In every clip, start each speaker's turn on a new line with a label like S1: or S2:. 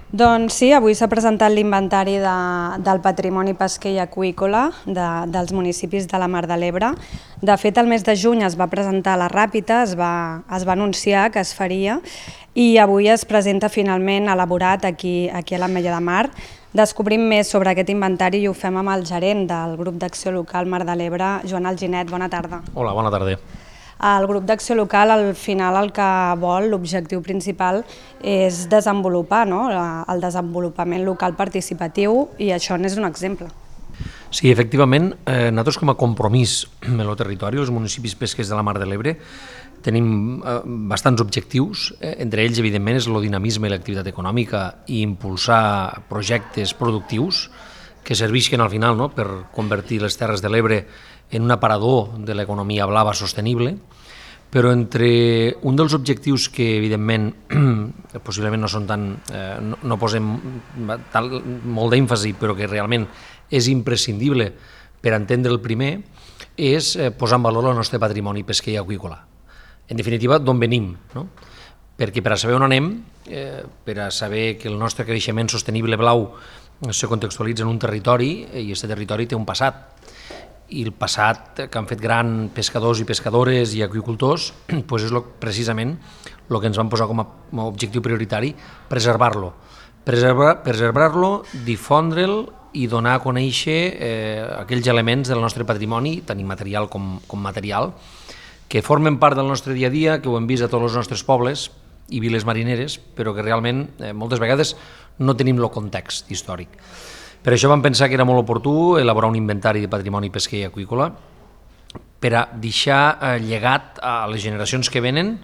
S1: Doncs sí, avui s'ha presentat l'inventari del patrimoni pesquer i aqüícola dels municipis de la Mar de l'Ebre. De fet, el mes de juny es va presentar a la Ràpita, es va anunciar que es faria i avui es presenta finalment elaborat aquí a l'Ametlla de Mar. Descobrim més sobre aquest inventari i ho fem amb el gerent del grup d'acció local Mar de l'Ebre, Joan Alginet. Bona tarda.
S2: Hola, bona tarda.
S1: El grup d'acció local, al final, el que vol, l'objectiu principal, és desenvolupar el desenvolupament local participatiu i això n'és un exemple.
S2: Sí, efectivament, nosaltres com a compromís amb el territori, els municipis pesquers de la Mar de l'Ebre, tenim bastants objectius, entre ells, evidentment, és el dinamisme i l'activitat econòmica i impulsar projectes productius que serveixin al final per convertir les Terres de l'Ebre en un aparador de l'economia blava sostenible, però entre un dels objectius que, evidentment, possiblement no són no posem molt d'èmfasi, però que realment és imprescindible per entendre el primer, és posar en valor el nostre patrimoni pesquer i aqüícola. En definitiva, d'on venim, no? Perquè per a saber on anem, per a saber que el nostre creixement sostenible blau se contextualitza en un territori i aquest territori té un passat. I el passat que han fet grans pescadors i pescadores i aqüicultors és precisament el que ens vam posar com a objectiu prioritari, preservar-lo. Preservar-lo, difondre'l i donar a conèixer aquells elements del nostre patrimoni, tant immaterial com material, que formen part del nostre dia a dia, que ho hem vist a tots els nostres pobles i viles marineres, però que realment moltes vegades no tenim el context històric. Per això vam pensar que era molt oportú elaborar un inventari de patrimoni pesquer i aqüícola per a deixar llegat a les generacions que venen,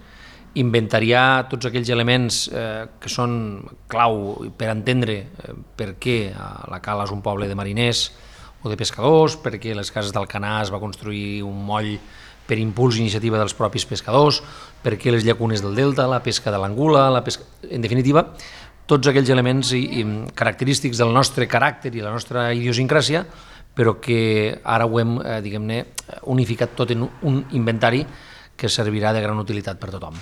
S2: inventariar tots aquells elements que són clau per entendre per què la Cala és un poble de mariners o de pescadors, per què les cases d'Alcanar es va construir un moll per impuls i iniciativa dels propis pescadors, per què les llacunes del delta, la pesca de l'angula, en definitiva, tots aquells elements característics del nostre caràcter i la nostra idiosincràsia, però que ara ho hem, diguem-ne, unificat tot en un inventari que servirà de gran utilitat per tothom.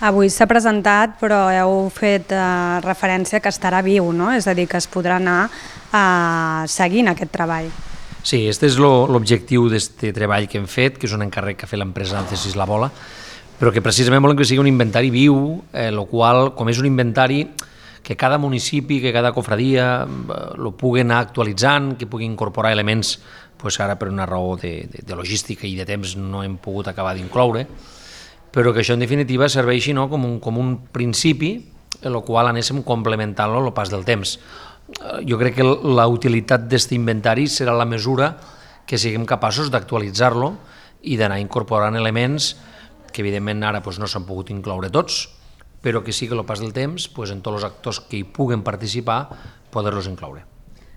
S1: Avui s'ha presentat, però heu fet referència que estarà viu, no? És a dir, que es podrà anar seguint aquest treball.
S2: Sí, aquest és l'objectiu d'aquest treball que hem fet, que és un encàrrec que ha fet l'empresa Alcesis La Bola, però que precisament volem que sigui un inventari viu, el qual, com és un inventari que cada municipi, que cada cofradia el pugui anar actualitzant, que pugui incorporar elements, ara per una raó de logística i de temps no hem pogut acabar d'incloure, però que això en definitiva serveixi com un principi, el qual anéssim complementant-lo al pas del temps. Jo crec que la utilitat d'aquest inventari serà la mesura que siguem capaços d'actualitzar-lo i d'anar incorporant elements que evidentment ara no s'han pogut incloure tots, però que sí que al pas del temps, en tots els actors que hi puguen participar, poder-los incloure.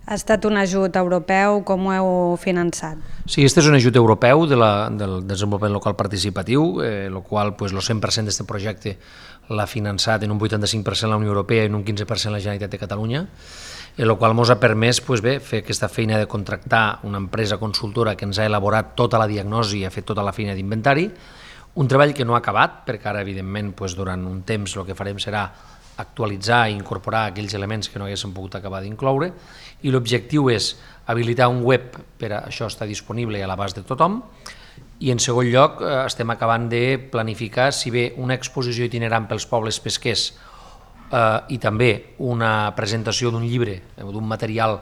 S1: Ha estat un ajut europeu, com ho heu finançat?
S2: Sí, aquest és un ajut europeu del desenvolupament local participatiu, el qual el 100% d'aquest projecte l'ha finançat en un 85% la Unió Europea i en un 15% la Generalitat de Catalunya, el qual ens ha permès fer aquesta feina de contractar una empresa consultora que ens ha elaborat tota la diagnosi i ha fet tota la feina d'inventari, un treball que no ha acabat, perquè ara, evidentment, durant un temps el que farem serà actualitzar i incorporar aquells elements que no haguéssim pogut acabar d'incloure, i l'objectiu és habilitar un web per a això està disponible a l'abast de tothom, i en segon lloc estem acabant de planificar si bé una exposició itinerant pels pobles pesquers i també una presentació d'un llibre, d'un material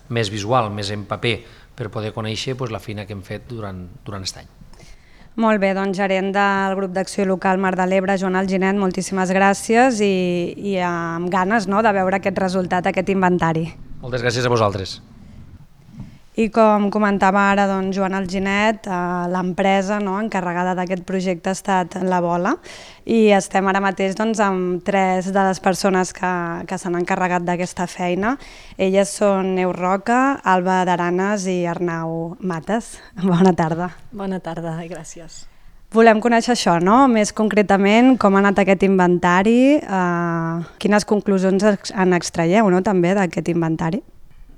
S2: més visual, més en paper, per poder conèixer la feina que hem fet durant aquest any.
S1: Molt bé, doncs gerent del grup d'acció local Mar de l'Ebre, Joan Alginet, moltíssimes gràcies i amb ganes de veure aquest resultat, aquest inventari.
S2: Moltes gràcies a vosaltres.
S1: I com comentava ara Joan Alginet, l'empresa encarregada d'aquest projecte ha estat La Bola i estem ara mateix amb 3 de les persones que s'han encarregat d'aquesta feina. Elles són Neus Roca, Alba d'Aranes i Arnau Mates. Bona tarda.
S3: Bona tarda i gràcies.
S1: Volem conèixer això, més concretament com ha anat aquest inventari, quines conclusions en extraieu també d'aquest inventari.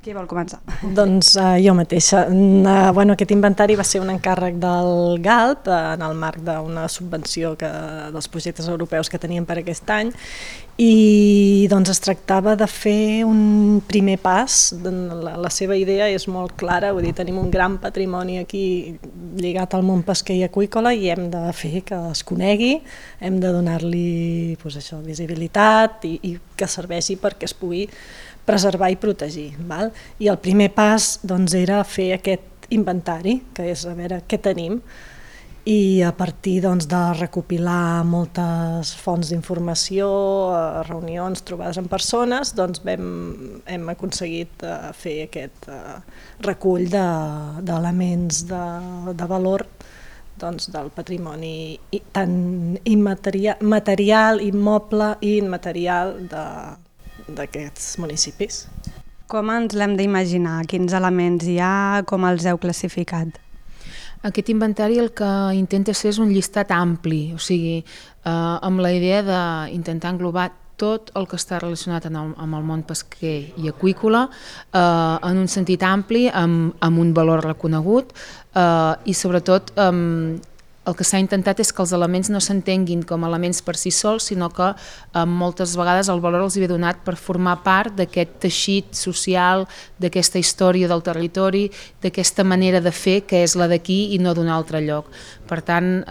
S1: Qui vol començar?
S3: Doncs jo mateixa. Aquest inventari va ser un encàrrec del GALP en el marc d'una subvenció dels projectes europeus que teníem per aquest any I doncs es tractava de fer un primer pas. La seva idea és molt clara, vull dir, tenim un gran patrimoni aquí lligat al món pesquer i aqüícola i hem de fer que es conegui, hem de donar-li visibilitat i que serveixi perquè es pugui preservar i protegir. Val? I el primer pas doncs, era fer aquest inventari, que és a veure què tenim, i a partir doncs, de recopilar moltes fonts d'informació, reunions, trobades amb persones, doncs hem aconseguit fer aquest recull d'elements de valor doncs, del patrimoni tant material, immoble i immaterial d'aquests municipis.
S1: Com ens l'hem d'imaginar? Quins elements hi ha? Com els heu classificat?
S4: Aquest inventari el que intenta ser és un llistat ampli, o sigui, amb la idea d'intentar englobar tot el que està relacionat amb el món pesquer i aqüícola en un sentit ampli, amb un valor reconegut i sobretot el que s'ha intentat és que els elements no s'entenguin com elements per si sols, sinó que moltes vegades el valor els hi ve donat per formar part d'aquest teixit social, d'aquesta història del territori, d'aquesta manera de fer que és la d'aquí i no d'un altre lloc. Per tant,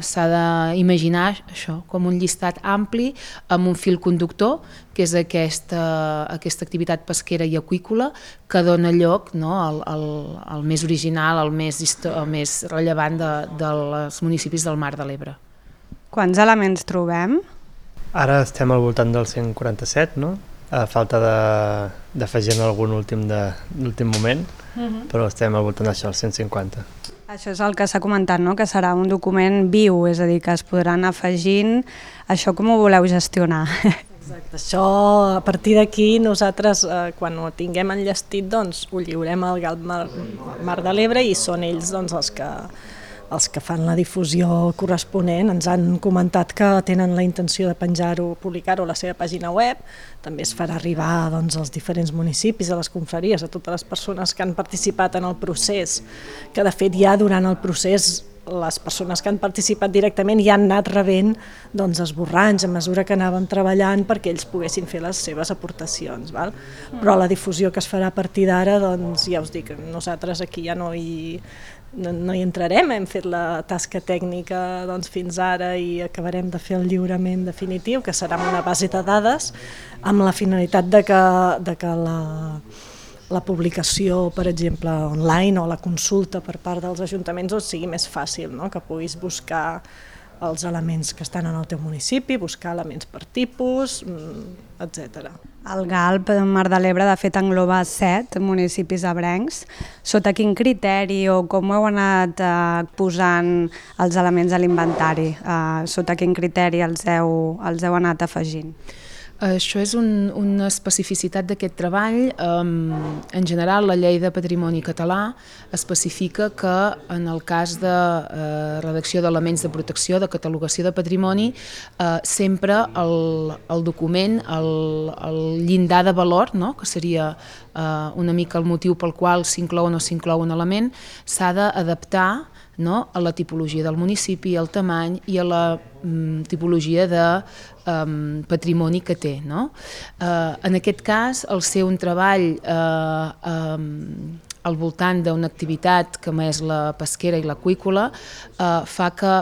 S4: s'ha d'imaginar això com un llistat ampli amb un fil conductor, que és aquesta activitat pesquera i aqüícola que dona lloc al més original, al més rellevant dels municipis del Mar de l'Ebre.
S1: Quants elements trobem?
S5: Ara estem al voltant del 147, no? A falta d'afegir algun últim moment, però estem al voltant d'això, el 150.
S1: Això és el que s'ha comentat, no? Que serà un document viu, és a dir, que es podran afegint. Això com ho voleu gestionar?
S3: Exacte, això a partir d'aquí nosaltres quan ho tinguem enllestit doncs ho lliurem al GALP Mar de l'Ebre i són ells doncs, els que fan la difusió corresponent. Ens han comentat que tenen la intenció de penjar-ho, publicar-ho a la seva pàgina web. També es farà arribar doncs, als diferents municipis, a les confraries, a totes les persones que han participat en el procés, que de fet ja durant el procés les persones que han participat directament ja han anat rebent doncs, esborranys a mesura que anàvem treballant perquè ells poguessin fer les seves aportacions. Val? Però la difusió que es farà a partir d'ara, doncs, ja us dic, nosaltres aquí ja no hi entrarem, hem fet la tasca tècnica doncs, fins ara i acabarem de fer el lliurament definitiu, que serà amb una base de dades, amb la finalitat de que la publicació, per exemple, online o la consulta per part dels ajuntaments doncs, sigui més fàcil, no? Que puguis buscar els elements que estan en el teu municipi, buscar elements per tipus, etc.
S1: El GALP Mar de l'Ebre, de fet, engloba 7 municipis ebrencs. Sota quin criteri o com heu anat posant els elements a l'inventari? Sota quin criteri els heu anat afegint?
S4: Això és una especificitat d'aquest treball. En general, la Llei de Patrimoni Català especifica que en el cas de redacció d'elements de protecció, de catalogació de patrimoni, sempre el document, el llindar de valor, no? Que seria una mica el motiu pel qual s'inclou o no s'inclou un element, s'ha d'adaptar, no? A la tipologia del municipi, al tamany i a la tipologia de patrimoni que té. No? En aquest cas, el ser un treball al voltant d'una activitat com és la pesquera i l'aqüícola fa que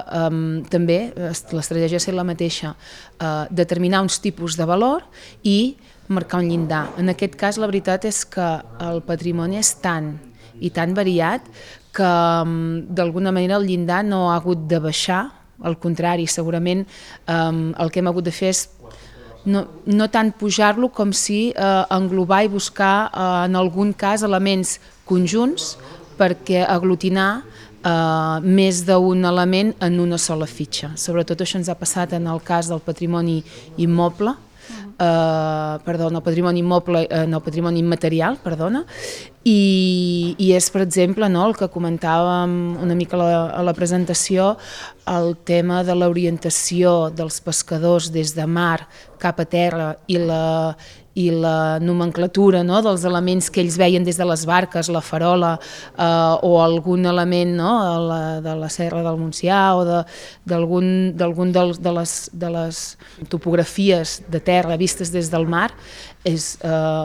S4: també l'estratègia és la mateixa, determinar uns tipus de valor i marcar un llindar. En aquest cas, la veritat és que el patrimoni és tan i tan variat que d'alguna manera el llindar no ha hagut de baixar, al contrari, segurament el que hem hagut de fer és no tant pujar-lo com si englobar i buscar en algun cas elements conjunts perquè aglutinar més d'un element en una sola fitxa. Sobretot això ens ha passat en el cas del patrimoni immoble, el patrimoni immaterial, i és, per exemple, el que comentàvem una mica a la presentació, el tema de l'orientació dels pescadors des de mar cap a terra i la nomenclatura, no?, dels elements que ells veien des de les barques, la farola o algun element, no?, de la Serra del Montsià o d'algun de les topografies de terra vistes des del mar, és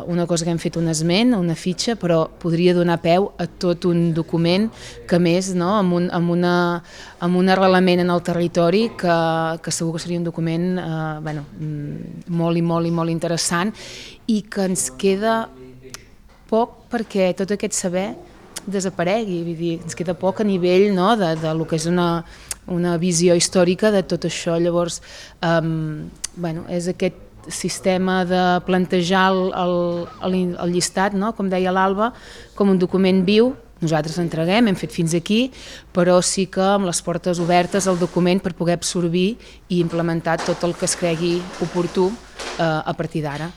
S4: una cosa que hem fet un esment, una fitxa, però podria donar peu a tot un document que més, no?, amb un arrelament en el territori que segur que seria un document molt i molt i molt interessant i que ens queda poc perquè tot aquest saber desaparegui, vull dir, ens queda poc a nivell, no?, de lo que és una visió històrica de tot això. Llavors, és aquest sistema de plantejar el llistat, no?, com deia l'Alba, com un document viu. Nosaltres entreguem, hem fet fins aquí, però sí que amb les portes obertes al document per poder absorbir i implementar tot el que es cregui oportú a partir d'ara.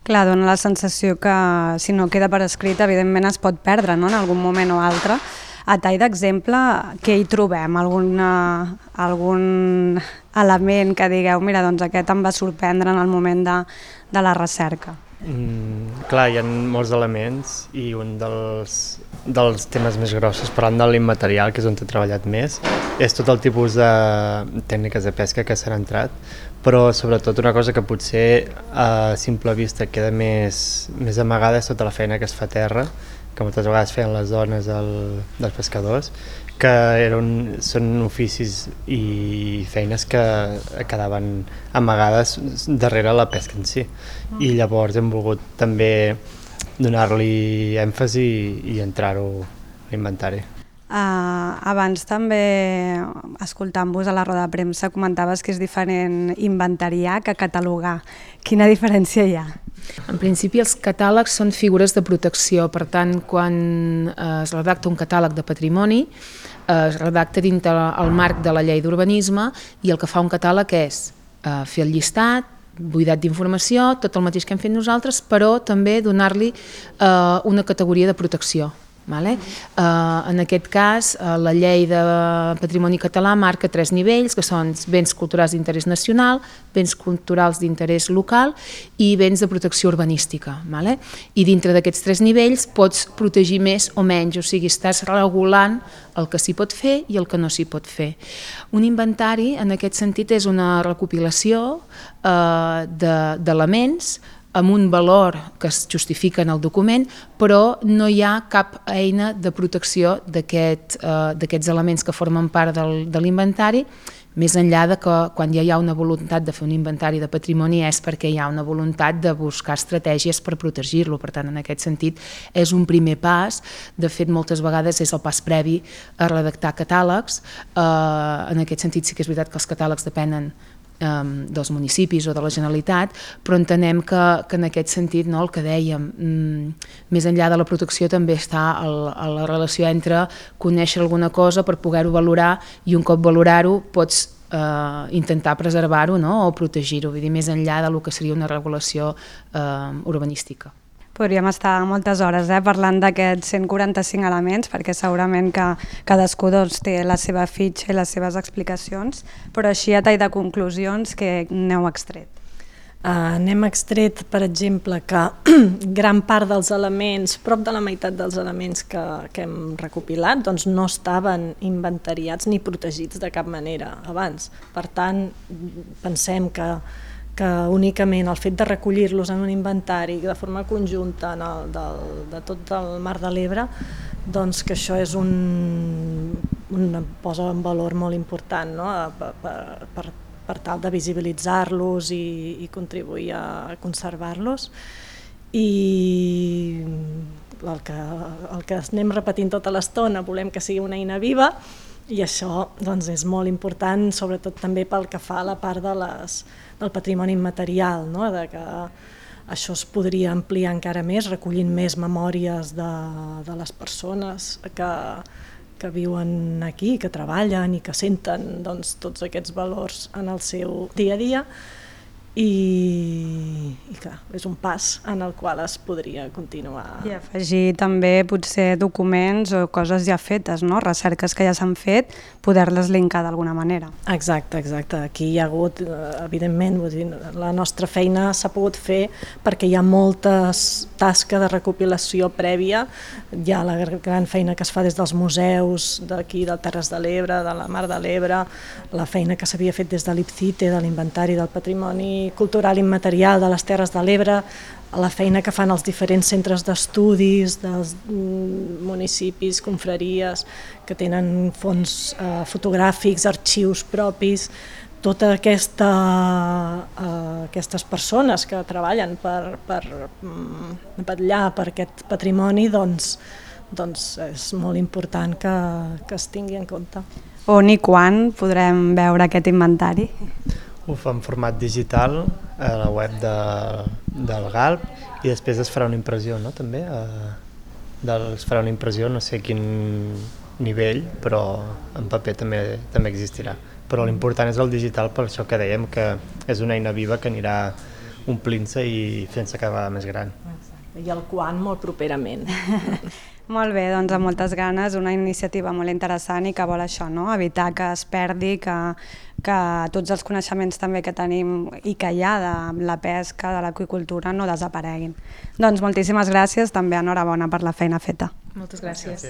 S1: Clar, dona la sensació que si no queda per escrit, evidentment es pot perdre, no?, en algun moment o altre. A tall d'exemple, què hi trobem? Algun element que digueu, mira, doncs aquest em va sorprendre en el moment de la recerca?
S5: Clar, hi ha molts elements i un dels temes més grossos, parlant de l'immaterial, que és on he treballat més, és tot el tipus de tècniques de pesca que s'han entrat, però sobretot una cosa que potser a simple vista queda més amagada és tota la feina que es fa a terra, que moltes vegades feien les dones dels pescadors, que són oficis i feines que quedaven amagades darrere la pesca en si. I llavors hem volgut també donar-li èmfasi i entrar-ho a l'inventari.
S1: Abans també, escoltant-vos a la roda de premsa, comentaves que és diferent inventariar que catalogar. Quina diferència hi ha?
S4: En principi els catàlegs són figures de protecció, per tant quan es redacta un catàleg de patrimoni es redacta dintre el marc de la llei d'urbanisme i el que fa un catàleg és fer el llistat, buidat d'informació, tot el mateix que hem fet nosaltres, però també donar-li una categoria de protecció. En aquest cas, la llei de patrimoni català marca 3 nivells, que són béns culturals d'interès nacional, béns culturals d'interès local i béns de protecció urbanística. I dintre d'aquests 3 nivells pots protegir més o menys, o sigui, estàs regulant el que s'hi pot fer i el que no s'hi pot fer. Un inventari, en aquest sentit, és una recopilació d'elements amb un valor que es justifica en el document, però no hi ha cap eina de protecció d'aquests elements que formen part de l'inventari, més enllà de que quan ja hi ha una voluntat de fer un inventari de patrimoni és perquè hi ha una voluntat de buscar estratègies per protegir-lo. Per tant, en aquest sentit, és un primer pas. De fet, moltes vegades és el pas previ a redactar catàlegs. En aquest sentit, sí que és veritat que els catàlegs depenen dels municipis o de la Generalitat, però entenem que en aquest sentit, el que dèiem, més enllà de la protecció també està la relació entre conèixer alguna cosa per poder-ho valorar i un cop valorar-ho pots intentar preservar-ho o protegir-ho, vull dir, més enllà del que seria una regulació urbanística.
S1: Podríem estar moltes hores parlant d'aquests 145 elements, perquè segurament que cadascú té la seva fitxa i les seves explicacions, però així a tall de conclusions, que n'heu extret?
S3: N'hem extret, per exemple, que gran part dels elements, prop de la meitat dels elements que hem recopilat, doncs no estaven inventariats ni protegits de cap manera abans. Per tant, pensem que únicament el fet de recollir-los en un inventari de forma conjunta de tot el Mar de l'Ebre, doncs que això és posa en valor molt important, per tal de visibilitzar-los i contribuir a conservar-los. I el que anem repetint tota l'estona, volem que sigui una eina viva, i això doncs, és molt important, sobretot també pel que fa a la part del patrimoni immaterial, de que això es podria ampliar encara més, recollint més memòries de les persones que viuen aquí, que treballen i que senten tots aquests valors en el seu dia a dia. i clar, és un pas en el qual es podria continuar.
S1: I afegir també potser documents o coses ja fetes, no? Recerques que ja s'han fet, poder-les linkar d'alguna manera.
S3: Exacte. Aquí hi ha hagut, evidentment, vull dir, la nostra feina s'ha pogut fer perquè hi ha molta tasca de recopilació prèvia, hi ha la gran feina que es fa des dels museus d'aquí, del Terres de l'Ebre, de la Mar de l'Ebre, la feina que s'havia fet des de l'IPCITE, de l'Inventari del Patrimoni Cultural Immaterial de les Terres de l'Ebre, la feina que fan els diferents centres d'estudis dels municipis, confraries, que tenen fons fotogràfics, arxius propis, totes aquestes persones que treballen per vetllar per aquest patrimoni, doncs és molt important que es tingui en compte.
S1: On i quan podrem veure aquest inventari?
S5: Ho fa en format digital a la web del GALP i després es farà una impressió, no? També es farà una impressió, no sé a quin nivell, però en paper també existirà. Però l'important és el digital, per això que dèiem que és una eina viva que anirà omplint-se i fent-se cada vegada més gran.
S3: Exacte. I el quan molt properament.
S1: Molt bé, doncs amb moltes ganes, una iniciativa molt interessant i que vol això, no? Evitar que es perdi, que tots els coneixements també que tenim i que hi ha de la pesca, de l'aqüicultura, no desapareguin. Doncs moltíssimes gràcies, també enhorabona per la feina feta.
S4: Moltes gràcies.